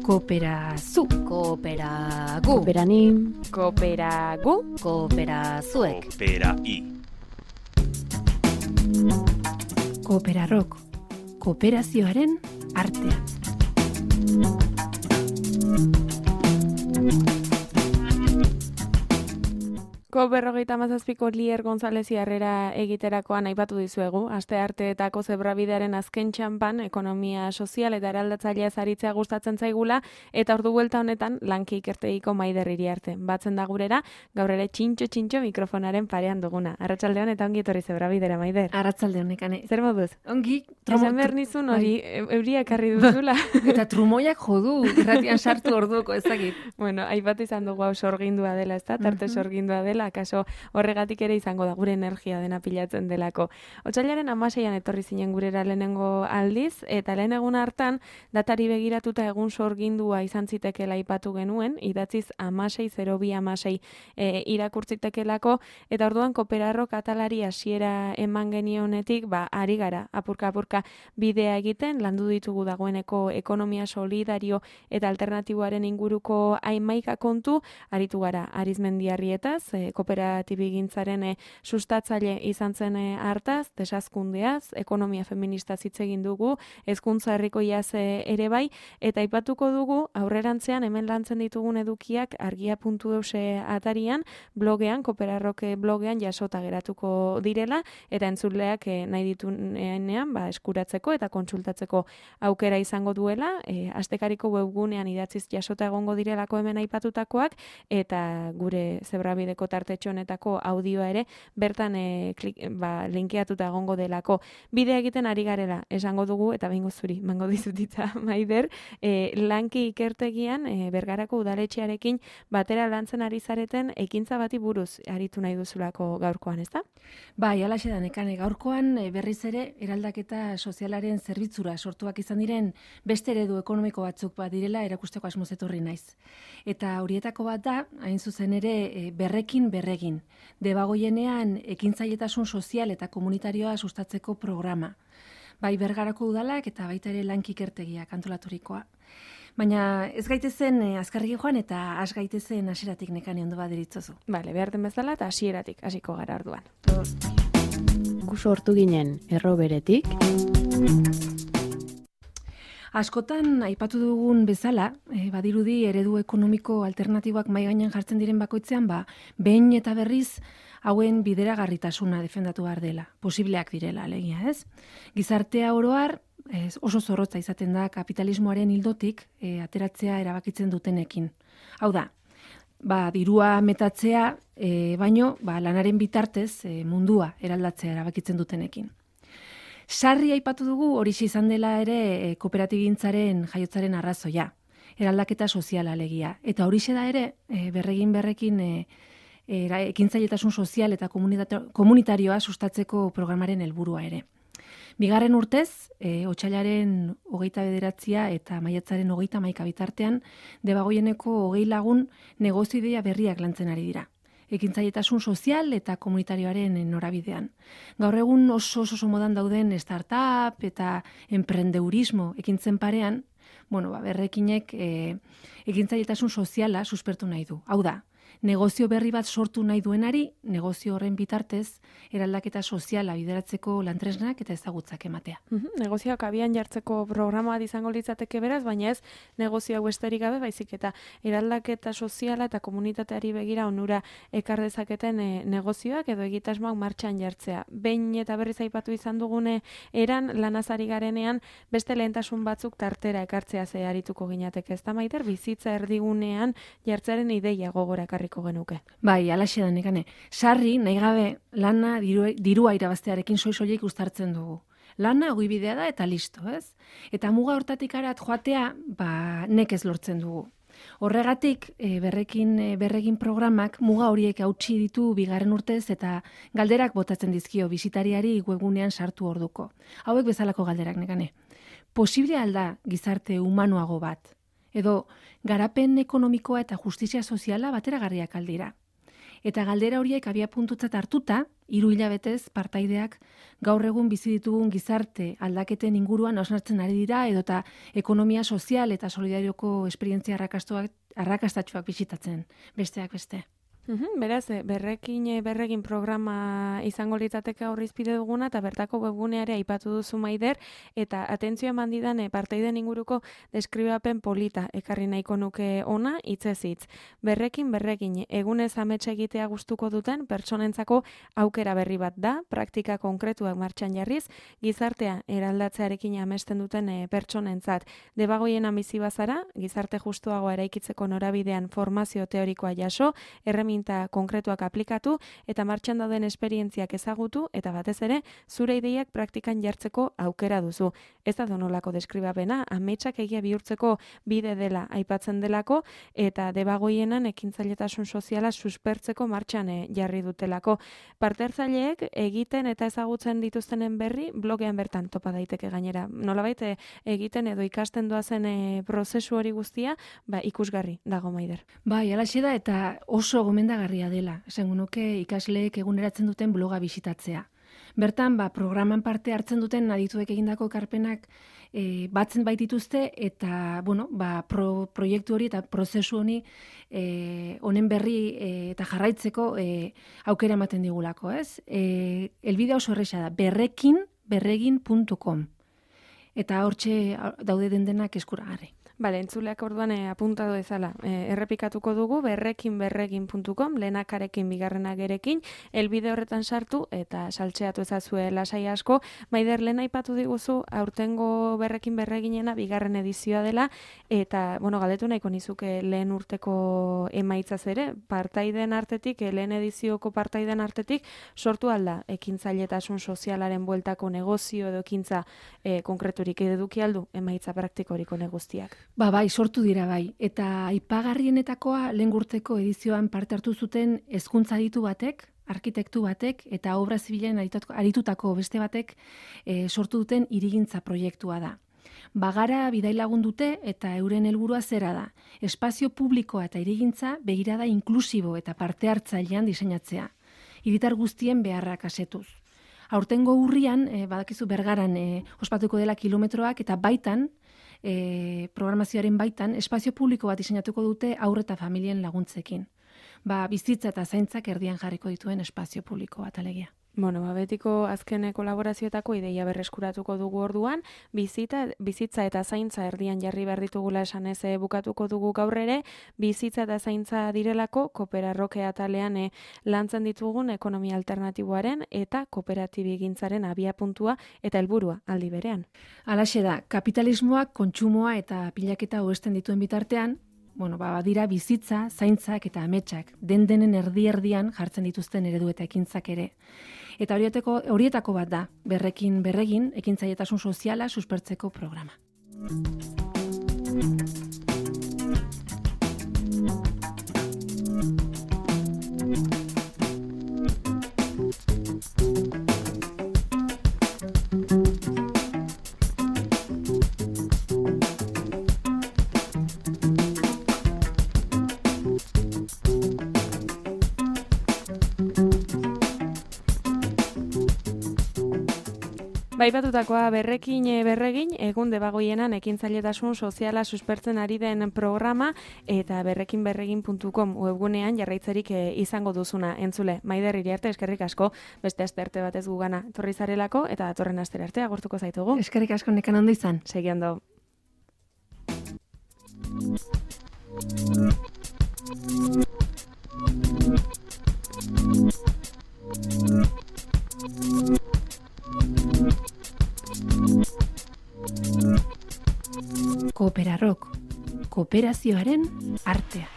Kooperazu. Kooperagu. Kooperanim. Kooperagu. Kooperazuek. Kooperai. Kooperarrok. Kooperazioaren artea. COP57ko Lier González Iarrera egiterakoan aipatu dizuegu, astearteetako zebrabidearen azken txanpan, ekonomia sozial eta eraldatzailea aritzea gustatzen zaigula, eta ordu buelta honetan lanki ikertegiko Maider Iriarte. Batzen da gurera, gaur ere txintxo mikrofonaren parean duguna. Arratsaldeon eta ongi etorri zebrabidera, Maider. Arratsaldeon, nekane. Zer moduz? Ongi. Esan behar nizun hori, euria ekarri duzula. Eta trumoiak jodu, irratian sartu orduko ezagit. Bueno, aipatu izan dugu hau sorgindua dela, ezta? Tarte sorgindua dela, akaso horregatik ere izango da gure energia dena pilatzen delako. Otsailaren 16an etorri zinen gurera lehenengo aldiz, eta lehen egun hartan datari begiratuta egun sorgindua izan zitekeela aipatu genuen, idatziz 16.02.16 irakurtzitekelako, eta orduan Kooperarro katalari hasiera eman genionetik, ari gara, apurka bidea egiten, landu ditugu dagoeneko ekonomia solidario eta alternatiboaren inguruko hamaika kontu, aritu gara Arizmendiarrietaz, kooperatibigintzaren sustatzaile izan zen hartaz, desazkundeaz, ekonomia feminista hitz egin dugu, hezkuntza herrikoiaz ere bai, eta aipatuko dugu aurrerantzean hemen lantzen ditugun edukiak argia.eus atarian, blogean, Kooperarrok blogean jasota geratuko direla, eta entzuleak nahi dituenean eskuratzeko eta kontsultatzeko aukera izango duela, astekariko webgunean idatziz jasota egongo direlako hemen aipatutakoak, eta gure zebrabideko tartetxo honetako audioa ere bertan linkeatuta egongo delako. Bidea egiten ari garela esango dugu, eta behingo zuri, mango dizutitza, Maider, lanki ikertegian Bergarako udaletxearekin batera lantzen ari zareten ekintza bati buruz aritu nahi duzulako gaurkoan, ezta? Bai, alaxe da nekane, gaurkoan berriz ere eraldaketa sozialaren zerbitzura sortuak izan diren beste eredu ekonomiko batzuk direla erakusteko asmoz etorri naiz. Eta horietako bat da, hain zuzen ere, berregin. Debagoienean ekintzailetasun sozial eta komunitarioa sustatzeko programa. Bai Bergarako udalak eta baita ere lanki ikertegiak antolaturikoa. Baina ez gaitezen azkarrik joan eta has gaitezen hasieratik nekane ondo baderitzozu. Bale, behar den bezala eta hasieratik hasiko gara orduan. Gu sortu ginen erroberetik. Askotan aipatu dugun bezala, badirudi eredu ekonomiko alternatiboak mahai gainean jartzen diren bakoitzean, behin eta berriz hauen bideragarritasuna defendatu behar dela, posibleak direla alegia, ez? Gizartea oroar oso zorrotza izaten da kapitalismoaren ildotik ateratzea erabakitzen dutenekin. Hau da, dirua metatzea, baino lanaren bitartez mundua eraldatzea erabakitzen dutenekin. Sarri aipatu dugu horixe izan dela ere kooperatibigintzaren jaiotzaren arrazoia, eraldaketa soziala alegia. Eta horixe da ere berrekin ekintzailetasun sozial eta komunitarioa sustatzeko programaren helburua ere. Bigarren urtez, otsailaren 29 eta maiatzaren 31 bitartean, Debagoieneko 20 lagun negozio ideia berriak lantzen ari dira. Ekintzailetasun sozial eta komunitarioaren norabidean. Gaur egun oso modan dauden startup eta emprendeurismo ekintzen parean, berrekinek ekintzailetasun soziala suspertu nahi du. Hau da, negozio berri bat sortu nahi duenari, negozio horren bitartez, eraldaketa soziala bideratzeko lantresnak eta ezagutzak ematea. Negozioak abian jartzeko programa izango litzateke beraz, baina ez negozio besterik gabe, baizik eta eraldaketa soziala eta komunitateari begira onura ekar dezaketen negozioak edo egitasmoak martxan jartzea. Behin eta berriz aipatu izan dugune eran lanazari garenean beste lehentasun batzuk tartera ekartzea arituko ginateke. Ez da, Maider, bizitza erdigunean jartzearen ideia gogora ekarriko genuke. Bai, alaxe da nekane. Sarri, nahi gabe, lana dirua irabaztearekin soilik uztartzen dugu. Lana ogibidea da eta listo, ez? Eta muga hortatik arat joatea, nekez lortzen dugu. Horregatik, berregin programak muga horiek hautsi ditu bigarren urtez eta galderak botatzen dizkio bisitariari webgunean sartu orduko. Hauek bezalako galderak nekane. Posible alda gizarte humanoago bat? Edo garapen ekonomikoa eta justizia soziala bateragarriak aldira? Eta galdera horiek abiapuntutzat hartuta, 3 hilabetez partaideak gaur egun bizi ditugun gizarte aldaketen inguruan hausnartzen ari dira edota ekonomia sozial eta solidarioko esperientzia arrakastatsuak bisitatzen, besteak beste. Beraz, berregin programa izango litzateke aurrizpide duguna eta bertako webguneare aipatu duzu Maider, eta atentzioa eman didan partaiden inguruko deskribapen polita ekarri nahiko nuke ona hitzez hitz. Berregin egunez ametsa egitea gustuko duten pertsonentzako aukera berri bat da, praktika konkretuak martxan jarriz, gizartea eraldatzearekin amesten duten pertsonentzat. Debagoien bizi bazara, gizarte justuagoa eraikitzeko norabidean formazio teorikoa jaso, erreminta konkretuak aplikatu eta martxan dauden esperientziak ezagutu eta batez ere zure ideiak praktikan jartzeko aukera duzu. Ez da donolako deskribapena, ametsak egia bihurtzeko bide dela aipatzen delako eta debagoienan ekintzailetasun soziala suspertzeko martxan jarri dutelako. Parte-hartzaileek egiten eta ezagutzen dituztenen berri blogean bertan topa daiteke gainera. Nolabait egiten edo ikasten doazen prozesu hori guztia, ikusgarri dago Maider. Bai, halaxe da eta oso gomendagarria dela, esango nuke ikasleek eguneratzen duten bloga bisitatzea. Bertan, programan parte hartzen duten adituek egindako ekarpenak batzen baitituzte eta, proiektu hori eta prozesu honi honen berri eta jarraitzeko aukera ematen digulako, ez? Elbidea oso erresa da, berregin.com eta hortxe daude dendenak eskuragarri. Bale, entzuleak orduan apuntado ezala. Errepikatuko dugu berregin.com, lehenakarekin bigarrenagerekin, elbide horretan sartu eta saltxeatu ezazue lasai asko. Maider, lehen aipatu diguzu, aurtengo berreginena bigarren edizioa dela, eta, galdetu nahiko nizuke lehen urteko emaitzaz ere, partaiden artetik, lehen edizioko partaiden artetik, sortu alda ekintzailetasun sozialaren bueltako negozio edo ekintza konkreturik eduki aldu emaitza praktikoriko neguztiak. Bai, sortu dira bai. Eta aipagarrienetakoa lehen urteko edizioan parte hartu zuten hezkuntza aditu batek, arkitektu batek eta obra zibilen aritutako beste batek sortu duten hirigintza proiektua da. Bagara bidailagun dute eta euren helburua zera da. Espazio publikoa eta hirigintza begirada inklusibo eta parte hartzailean diseinatzea. Hiritar guztien beharrak asetuz. Aurtengo urrian, badakizu Bergaran ospatuko dela kilometroak eta baitan, programazioaren baitan, espazio publiko bat diseinatuko dute haur eta familien laguntzekin. Bizitza eta zaintzak erdian jarriko dituen espazio publiko bat alegia. Betiko azken kolaborazioetako ideia berreskuratuko dugu orduan, bizitza eta zaintza erdian jarri behar ditugula esanez bukatuko dugu gaur ere, bizitza eta zaintza direlako kooperarroke atalean lantzen ditugun ekonomia alternatiboaren eta kooperatibigintzaren abiapuntua eta helburua aldi berean. Halaxe da, kapitalismoak kontsumoa eta pilaketa hobesten dituen bitartean, dira bizitza, zaintzak eta ametsak, denen erdi-erdian jartzen dituzten eredu eta ekintzak ere. Eta horietako bat da, berregin, ekintzailetasun soziala suspertzeko programa. Baipatutakoa berregin, egun debagoienan ekintzailetasun soziala suspertzen ari den programa eta berregin.com webgunean jarraitzerik izango duzuna entzule. Maider Iriarte, eskerrik asko, beste asterte batez gugana etorri zarelako eta datorren astera arte agurtuko zaitugu. Eskerrik asko, nekan ondo izan. Segi ondo. Kooperarrok, kooperazioaren artea.